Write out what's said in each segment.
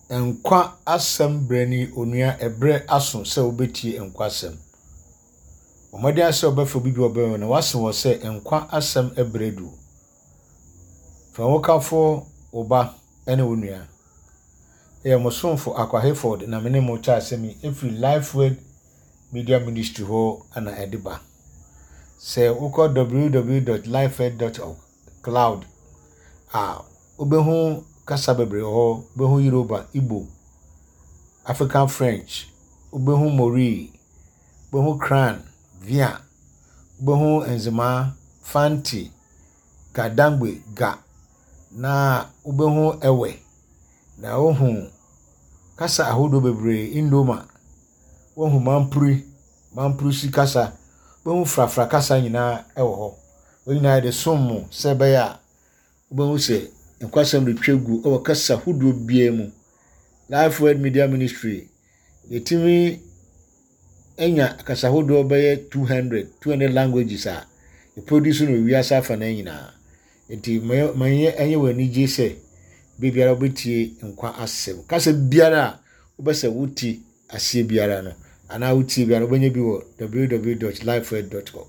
Nkwa asɛm berɛ ni onua ɛberɛ aso sɛ wobɛtie nkwa asɛm. Bɔ mmɔden ara sɛ wobɛfa obi bi a ɔbɛn wo na wase wɔ sɛ nkwa asɛm berɛ adu. Fa wo hokafo, wo ba ne wo nua. Ɛyɛ mo somfo Akwa Hayford na me ne mo kyɛ asɛm yi ɛfiri Lifeword Media Ministry hɔ na ɛde ba. Sɛ wokɔ www.lifeword.org cloud a, wobɛhu kasa bebree wɔ hɔ. Wobɛhu Yoruba, Igbo, African French, wobɛhu Mori, wobɛhu Krahn, Via, wobɛhu Nzema, Fanti, Ga-Dangme, Ga, na wobɛhu Ewe, na wohu kasa ahodoɔ bebree, Ndoma, wohu Mampuri, Mamprusi kasa, wobɛhu Frafra kasa nyinaa wɔ hɔ. Wɔn nyinaa yɛde som mo sɛ ɛbɛyɛ a wobɛhu sɛ nkwasɛm retwa gu wɔ kasa hodoɔ biara mu. Life Word Media Ministry, yɛtumi anya kasa hodoɔ bɛyɛ 200, 200 languages a yɛproduce no wiase afanan nyinaa. Nti ma ɛnyɛ wɔ anigye sɛ biribiara wobɛtie nkwa asɛm. Kasa biara a wobɛsɛ wote aseɛ biara no anaa wotie biara no wobɛnya bi wɔ www.lifeword.com.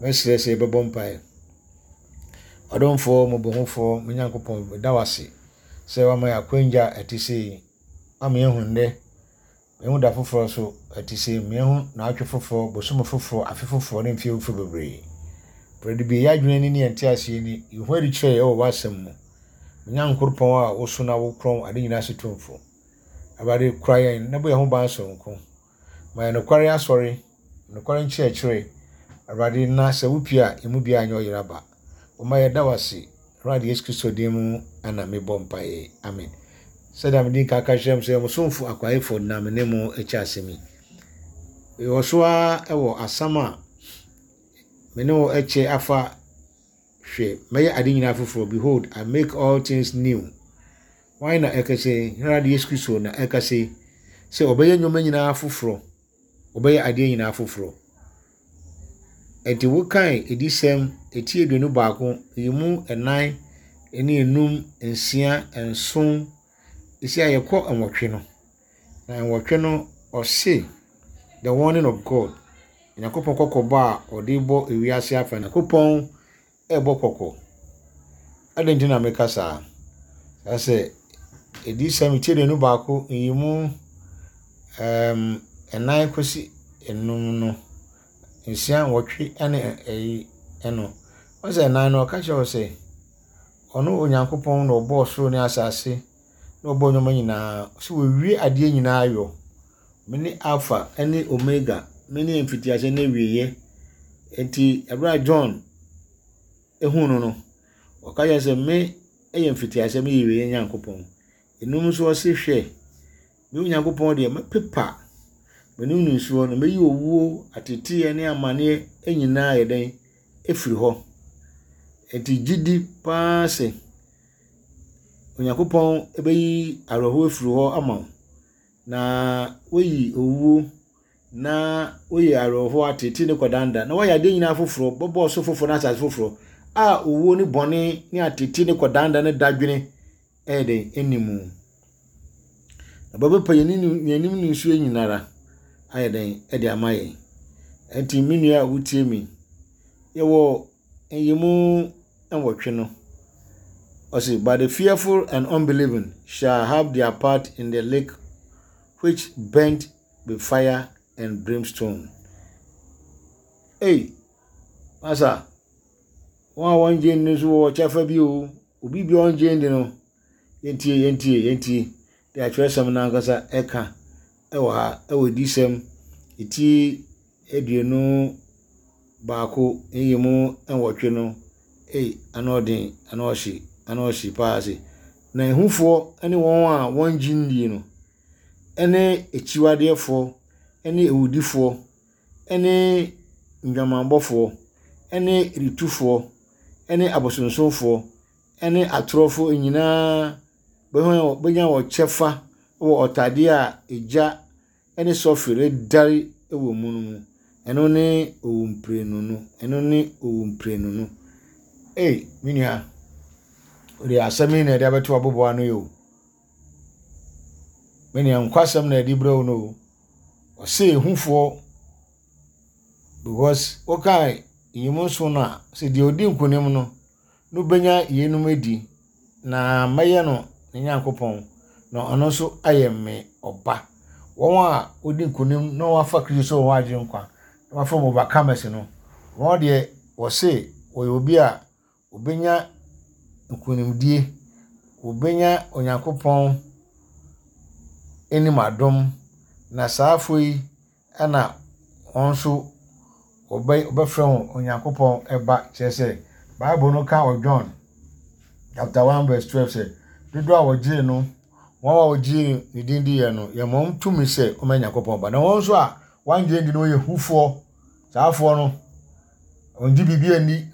Mɛsrɛ sɛ yɛbɛbɔ mpaeɛ. Ɔdomfoɔ, mmɔbɔhufoɔ, me Nyankopɔn, meda wo ase sɛ woama yɛn akwangya a ɛte sei, woama yɛahu nnɛ, yɛahu da foforɔ nso ɛte sei, yɛahu naawɔtwe foforɔ, bosome foforɔ, afe foforɔ ne mfeɛ foforɔ bebree. Awurade bue yɛn adwene ani ne yɛn nteaseɛ ani, yi wo ho adi kyerɛ yɛn wɔ w'asɛm mu. Me Nyankoropɔn a woso na wokorɔn ade nyinaa so tumfo. Awurade, kora yɛn na bɔ yɛn ho ban soronko. Ma yɛn nokware asɔre, nokware nkyerɛkyerɛ, Awurade, na sɛ wopue a, yɛn mu biara nyɛ ɔyera ba. Woma yɛda wo ase, Awurade Yesu Kristo din mu na mebɔ mpaeɛ. Amen. Sɛdeɛ mede nka ka kyerɛ mo sɛ mo somfo Akwaefo na me ne mo kyɛ asɛm yi. Mewɔ so ara wɔ asɛm a me ne wo kyɛ afa Hwɛ, mɛyɛ ade nyinaa foforɔ, Behold, I make all things new. Hwan na ɛkasa yi? Yɛn Awurade Yesu Kristo na ɛkasa yi sɛ ɔbɛyɛ nneɛma nyinaa foforɔ. Ɔbɛyɛ adeɛ nyinaa foforɔ. Enti wokan adiyisɛm eti 21, yi mu nnan ne enum, nsia, nson, esi a yɛkɔ nwɔtwe no. Na nwɔtwe no, ɔse, The warning of God, Nyankopɔn kɔkɔbɔ a ɔde bɔ ewiase afa. Nyankopɔn rebɔ kɔkɔ. Adɛn nti na meka saa? Saa sɛ adiyisɛm ti 21, nyiyimu nnan kɔsi enum no, nsia, nwɔtwe ne ɛyi no. Ɔsɛ nnan no, ɔka kyerɛ wo sɛ, ɔno Onyankopɔn na ɔbɔɔ soro ne asase na ɔbɔɔ nneɛma nyinaa. Ɔsɛ wɔwie adeɛ nyinaa yɔ. Mene Alpha ne Omega, mene mfitiaseɛ ne awieeɛ. Enti ɛberɛ a John huu no no, ɔka kyerɛ sɛ me yɛ mfitiaseɛ, meyɛ awieeɛ Nyankopɔn. Enum nso ɔse hwɛ, me Onyankopɔn deɛ mɛpepa m'anim nisuo na mɛyi owuo, ateteeɛ ne amaneɛ nyinaa yɛ dɛn afiri hɔ. Enti gye di paa sɛ Onyankopɔn bɛyi awerɛhoɔ afiri hɔ ama wo. Na woyi owuo, na woyi awerɛhoɔ, ateetee ne kɔdanda, na woayɛ adeɛ nyinaa foforɔ, bɛbɔ ɔsoro foforɔ ne asase foforɔ, a owuo ne bɔne ne ateetee ne kɔdanda ne dadwene ɛyɛ dɛn ɛnni mu. Na bɛbɛpa yɛn anim ne nsuo nyinara ayɛ dɛn ɛde ama yɛn. Ɛnti me nua a wotie mi, yɛwɔ nyimu nwɔtwe no, ɔse, But the fearful and unbelieving shall have their part in the lake which burnt with fire and brimstone. Ei, masa, wɔn a wɔngye nni nso wɔ kyɛfa bi o. Obi bi a ɔngye nni no, yɛntie, yɛntie, yɛntie. Deɛ atwerɛsɛm no ankasa ɛka ɛwɔ ha, ɛwɔ adiyisɛm ti 21 nyiyimu nwɔtwe no, ei, ano ɔden, ano ɔhye, ano ɔhye paa se. Na ehufoɔ ne wɔn a wɔngye nnie no, ne akyiwadeɛfoɔ, ne awudifoɔ, ne ndwamanbɔfoɔ, ne ritufoɔ, ne abosonsomfoɔ, ne atorɔfoɔ nyinaa bɛnya wɔn kyɛfa wɔ ɔtadeɛ a egya ne sɔfe redɛre wɔ mu no mu. Ɛno ne owumprenu no. Ɛno ne owumprenu no. Ei, me nua, wode asɛm yi na ɛde abɛto abobow ano yi o. Me nua, nkwasɛm na ɛde brɛ wo no o. Ɔse ehufoɔ because wokae nyimu nson no a, sɛ deɛ ɔdi nkonim no, no bɛnya yeinom adi, na mɛyɛ no ne Nyankopɔn, na ɔno nso ayɛ me ɔba. Wɔn a wɔdi nkonim na wɔafa Kristo sɛ wɔn agyenkwa, na wɔafa wɔn overcomers no, wɔn deɛ wɔse wɔyɛ obi a wɔbɛnya nkonimdie, wɔbɛnya Onyankopɔn anim adom, na saa afoɔ yi na wɔn nso wɔbɛfrɛ wɔn Onyankopɔn ba. Kyerɛ sɛ, Bible no ka wɔ John chapter 1 verse 12 sɛ, dodoɔ a wɔgyee no, wɔn a wɔgyee ne din diiɛ no, yɛma wɔn tumi sɛ wɔmmɛyɛ Nyankopɔn ba. Na wɔn nso a wɔangye ndi no wɔyɛ hufoɔ. Saa afoɔ no, wɔngye biribi anni.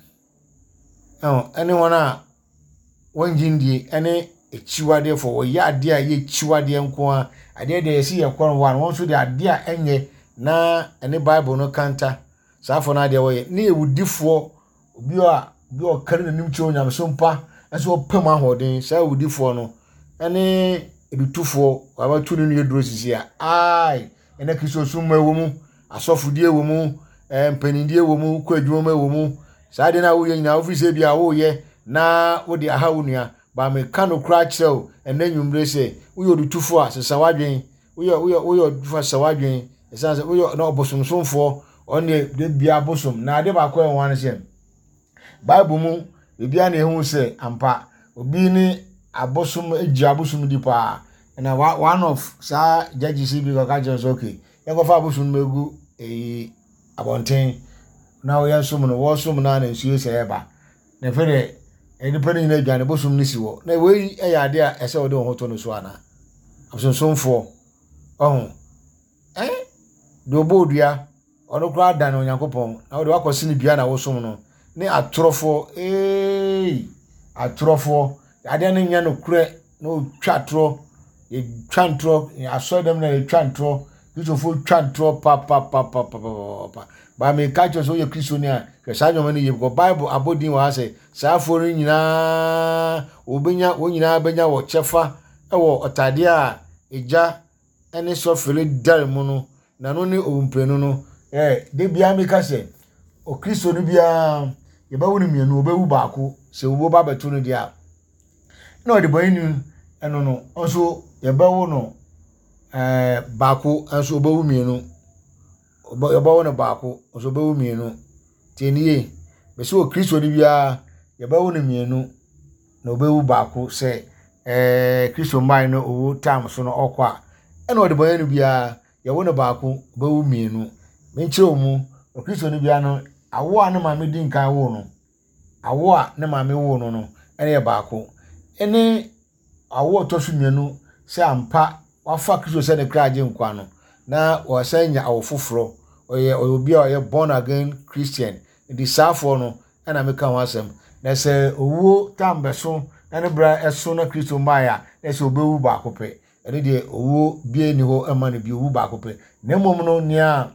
Ɛne wɔn a wɔnngye nndie ɛne akyiwadeɛfoɔ, wɔyɛ adeɛ a ɛyɛ akyiwadeɛ nko ara, adeɛ deɛ yɛsi yɛ kɔ no wɔn nso deɛ adeɛ a ɛnyɛ na ɛne Bible no kanta, saa afoɔ no adeɛ wɔyɛ, ne awudifoɔ, obi a obi a ɔkari n'anim kyerɛ onyamesom pa nso ɔpɛ mu ahoɔden, saa awudifoɔ no ɛne adutofoɔ, wɔabɛto ne nua duro sisi a, ae, ɛnɛ Kristosom mu ɛwɔ mu, asɔfodie wɔ mu, eh, mpanindie wɔ mu, kɔ adwuma mu wɔ mu. Saa adeɛ no a woyɛ nyinaa wofiri sɛ bi a woyɛ na wode aha wo nua. Ba meka no koraa kyerɛ wo ɛnɛ nwummere sɛ woyɛ odutufo a sesa w'adwen. Woyɛ woyɛ woyɛ odutufo a sesa w'adwen. Ɛsiane sɛ woyɛ na ɔbosomsomfoɔ ɔno deɛ da biara bosom. Na ade baako a ɛwɔ ho ne sɛ Bible mu biribiara na ehu sɛ ampa obi ne abosom gye abosom di paa. Na one of saa judges yi bi kɔka kyerɛ sɛ okay yɛnkɔfa abosom no mɛgu eyi abɔnten na wɔyɛ nsom no wɔsom no a na nsuo sɛ ɛba na afei deɛ nnipa no nyinaa adwane bosom no si hɔ na wei yɛ adeɛ a ɛsɛ wɔde wɔn ho to no so anaa abosonsomfoɔ ɔho ɛn deɛ ɔbɔ odua Ɔno koraa dan Onyankopɔn, na wode wakɔ sene dua na wosom no, ne atorɔfoɔ, eei, atorɔfoɔ, adeɛ no nyɛ nokorɛ na ɔtwa atorɔ, yɛtwa ntorɔ, asɔre dɛm na yɛtwa ntorɔ, Kristofoɔ twa ntorɔ papapapapapapa. Ba meka kyerɛ sɛ woyɛ Kristoni a, hwɛ saa nneɛma no yie, because Bible abɔ din wɔ ha sɛ saa afoɔ no nyinaa wɔbɛnya, wɔn nyinaa bɛnya wɔ kyɛfa wɔ ɔtadeɛ a egya ne sɔfere dare mu no, na no ne owumprenu no. Ɛ, da biara meka sɛ, Okristoni biara, yɛbɛwo no mmienu, ɔbɛwu baako, sɛ owuo ba bɛto no deɛ a, na ɔdebɔneyɛni ɛno no, nso yɛbɛwo no ɛɛ baako, nso ɔbɛwu mmienu. Yɛbɛwo no baako, nso ɔbɛwu mmienu. Tie nie, mese Okristoni biara, yɛbɛwo no mmienu. na obewu baako sɛ ɛɛ Kristo mmae no owu tam so no ɔkɔ a, ɛna ɔdebɔneyɛni biara yɛwo no baako, obewu mmienu. Menkyerɛ wo mu, Okristoni biara no, awo a ne maame di nkan woo no, awo a ne maame woo no no, ɛna yɛ baako. Ɛne awo a ɔtɔ so mmienu sɛ ampa wafa Kristo sɛ ne kra agyenkwa no, na wasan nya awo foforɔ. Ɔyɛ ɔyɛ obi a ɔyɛ born again Christian. Nti saafoɔ no na meka ho asɛm. Na sɛ owuo tam bɛso na ne berɛ ɛso na Kristo mmaeɛ a, na ɛsɛ ɔbɛwu baako pɛ. Ɛno deɛ owuo biara nni hɔ mma no bio, owu baako pɛ. Na mmom no, nea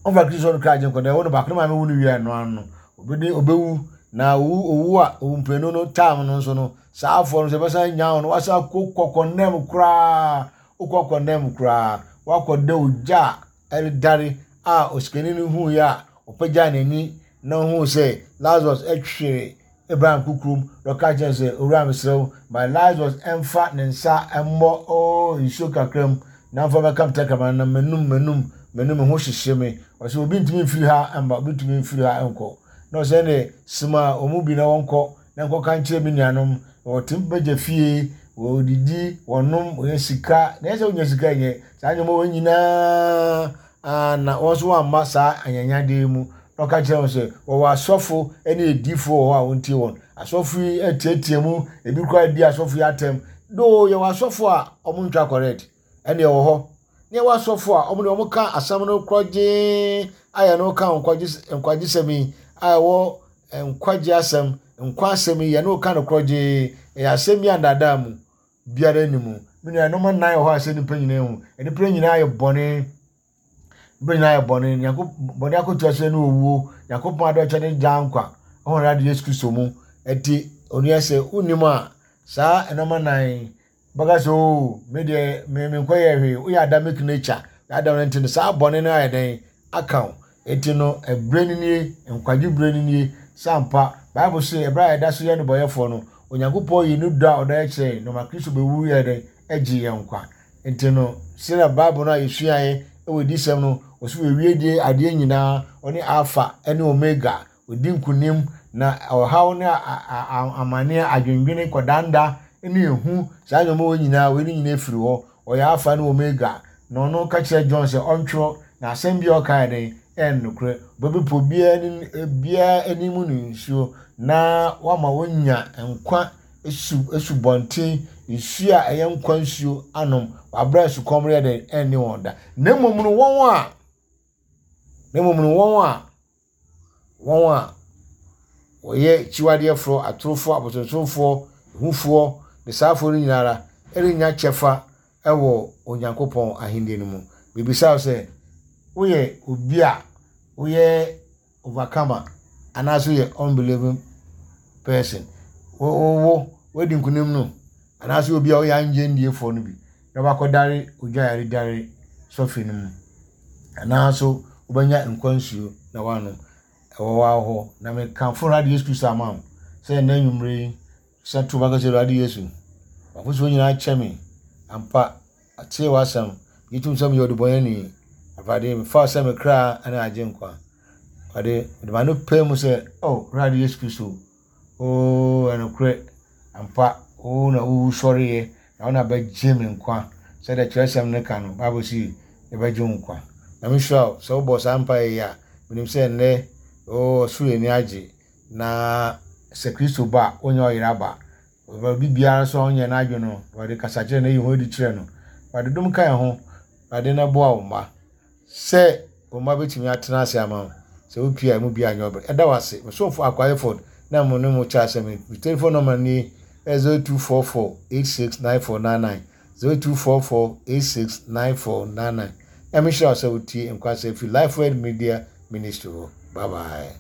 ɔmfa Kristo no kra agyenkwa no, ɛwɔ no baako, ne maame wu no wie a, ɛno ano no, ɔbɛdi ɔbɛwu. Na owu owu a owu mprenu no tam no nso no, saa afoɔ no sɛ ɛbɛsan nya wɔn, wasan akɔ kɔkɔnam koraa, wokɔ kɔnam koraa, wakɔda ogya a ɛredare a osikani no hui a ɔpagyaa n'ani na ohuu sɛ Lasarus twere Abraham kokoam na ɔka kyerɛɛ no sɛ, Owura, mesrɛ wo, ma Lasarus mfa ne nsa mmɔ oo nsuo kakra mu na mfa mmɛka me tɛkrɛma no na m'anum m'anum m'anum me ho hyehye me. Ɔsɛ obi ntumi mfiri ha mma, obi ntumi mfiri ha nkɔ. Na ɔsɛ ɛnde soma wɔn mu bi na wɔnkɔ na nkɔka nkyerɛ me nuanom, na wɔte m'agya fie, wɔdidi, wɔnom, wɔnya sika, na ɛsɛ sɛ wonya sika nyɛ saa nneɛma wɔn nyinaa, na wɔn nso wɔamma saa anyanyadeɛ yi mu. Na ɔka kyerɛ wɔn sɛ, wɔwɔ asɔfo ne adiyifoɔ wɔ hɔ a wɔntie wɔn. Asɔfo yi atiatia mu, ebi koraa di asɔfo yi atɛm. Doo, yɛwɔ asɔfo a wɔntwa correct, ɛne ɛwɔ hɔ. Ne yɛwɔ asɔfo a wɔn deɛ wɔka asɛm no korɔgyee a yɛne wo ka nkwagyesɛm yi a ɛwɔ nkwagye asɛm, nkwa asɛm yi, yɛne wo ka no korɔgyee. Ɛyɛ asɛm bi a ndaadaa mu biara nni mu. Me nua, nneɛma nnan wɔ hɔ a ɛsɛ nnipa nyinaa hu. Nnipa nyinaa yɛ bɔne. Nnipa nyinaa yɛ bɔne. Nyanko bɔne akotua so ne owuo. Nyankopɔn adɔ kyɛ ne daa nkwa. Ɛwɔ Awurade Yesu Kristo mu. Ɛnti, onua sɛ wonnim a, saa nneɛma nnan yi. Wobɛka sɛ, Oo, me deɛ, me menkɔyɛɛ hwee. Woyɛ Adamic nature. Adam no nti no, saa bɔne no ayɛ dɛn? Aka wo. Enti no, ɛberɛ no nie, nkwagye berɛ no nie. Sɛ ampa, Bible se, ɛberɛ a yɛda so yɛ nnebɔyɛfoɔ no, Onyankopɔn yii ne dɔ a ɔdɔ yɛ kyerɛɛ yɛn, na ɔma Kristo bɛwu yɛɛ dɛn? Gyee yɛn nkwa. Enti no, sɛdeɛ Bible no a yɛsuaeɛ wɔ adiyisɛm no, ɔse wɔawie deɛ adeɛ nyinaa, ɔne Alpha ne Omega, Ɔdi nkonim, na ɔhaw ne amaneɛ, adwendwene, kɔdanda ne ehu, saa nneɛma wei nyinaa, wei ne nyinaa firi hɔ. Ɔyɛ Alpha ne Omega. Na ɔno ka kyerɛ John sɛ ɔntwerɛ, na asɛm biara ɔka yɛ dɛn? Ɛyɛ nokorɛ. Ɔbɛpepa obiara obiara anim ne nsuo, na wama wɔanya nkwa su asubɔnten, nsuo a ɛyɛ nkwa nsuo anom, wɔ aberɛ a sukɔm reyɛ dɛn? Ɛnne wɔn da. Na mmom no wɔn a, na mmom no wɔn a Wɔn a wɔyɛ akyiwadeɛfoɔ, atorofoɔ, abosonsomfoɔ, ahufoɔ, ne saafoɔ no nyina ara rennya kyɛfa wɔ Onyankopɔn ahennie no mu. Mebisa wo sɛ, woyɛ obi a woyɛ overcomer anaasɛ woyɛ unbelieving person? Wo, wo, woadi nkonim no anaasɛ obi a woyɛ angye ndiefoɔ no bi na wakɔdare ogya a yɛde sɔfe no mu? Anaa nso wobɛnya nkwa nsuo na woanom. Ɛwɔ hɔ ara hɔ. Na mekamfo Awurade Yesu Kristo ama wo sɛ ɛnnɛ anwummerɛ yi, sɛ to bɛka sɛ Awurade Yesu, w'afotuo nyinaa kyɛ me. Ampa, atie w'asɛm. Gye tom sɛ meyɛ ɔdebɔneyɛni. Awurade, mefa wo sɛ me kra ne agyenkwa. Awurade, mede m'ano pae mu sɛ, O Awurade Yesu Kristo, Oo, ɛnokorɛ, ampa, wo na wowu sɔreeɛ, na wo na bɛgye me nkwa. Sɛdeɛ twerɛsɛm no ka no, Bible se, yɛbɛgye wo nkwa. Nyame nhyira wo sɛ wobɔɔ saa mpaeɛ yi a, menim sɛ nnɛ, oo, ɔsoro ani agye, na sɛ Kristo ba a, wonyɛ ɔyera ba. Obi biara nso a ɔnyɛ n'adwene no, Awurade kasa kyerɛ no, yi ho adi kyerɛ no. Awurade dom ka yɛn ho, Awurade na boa wo mma. Sɛ wo mma bɛtumi atena ase ama wo, sɛ wopue a emu biara nyɛ ɔbrɛ. Yɛda wo ase. Me somfo Akwa Hayford na mo ne mo kyɛ asɛm yi. Me telephone number nie, 0244 869499, 0244 869499. Nyame nhyira wo sɛ wotie Nkwasɛm firi Lifeword Media Ministry hɔ. Bye bye.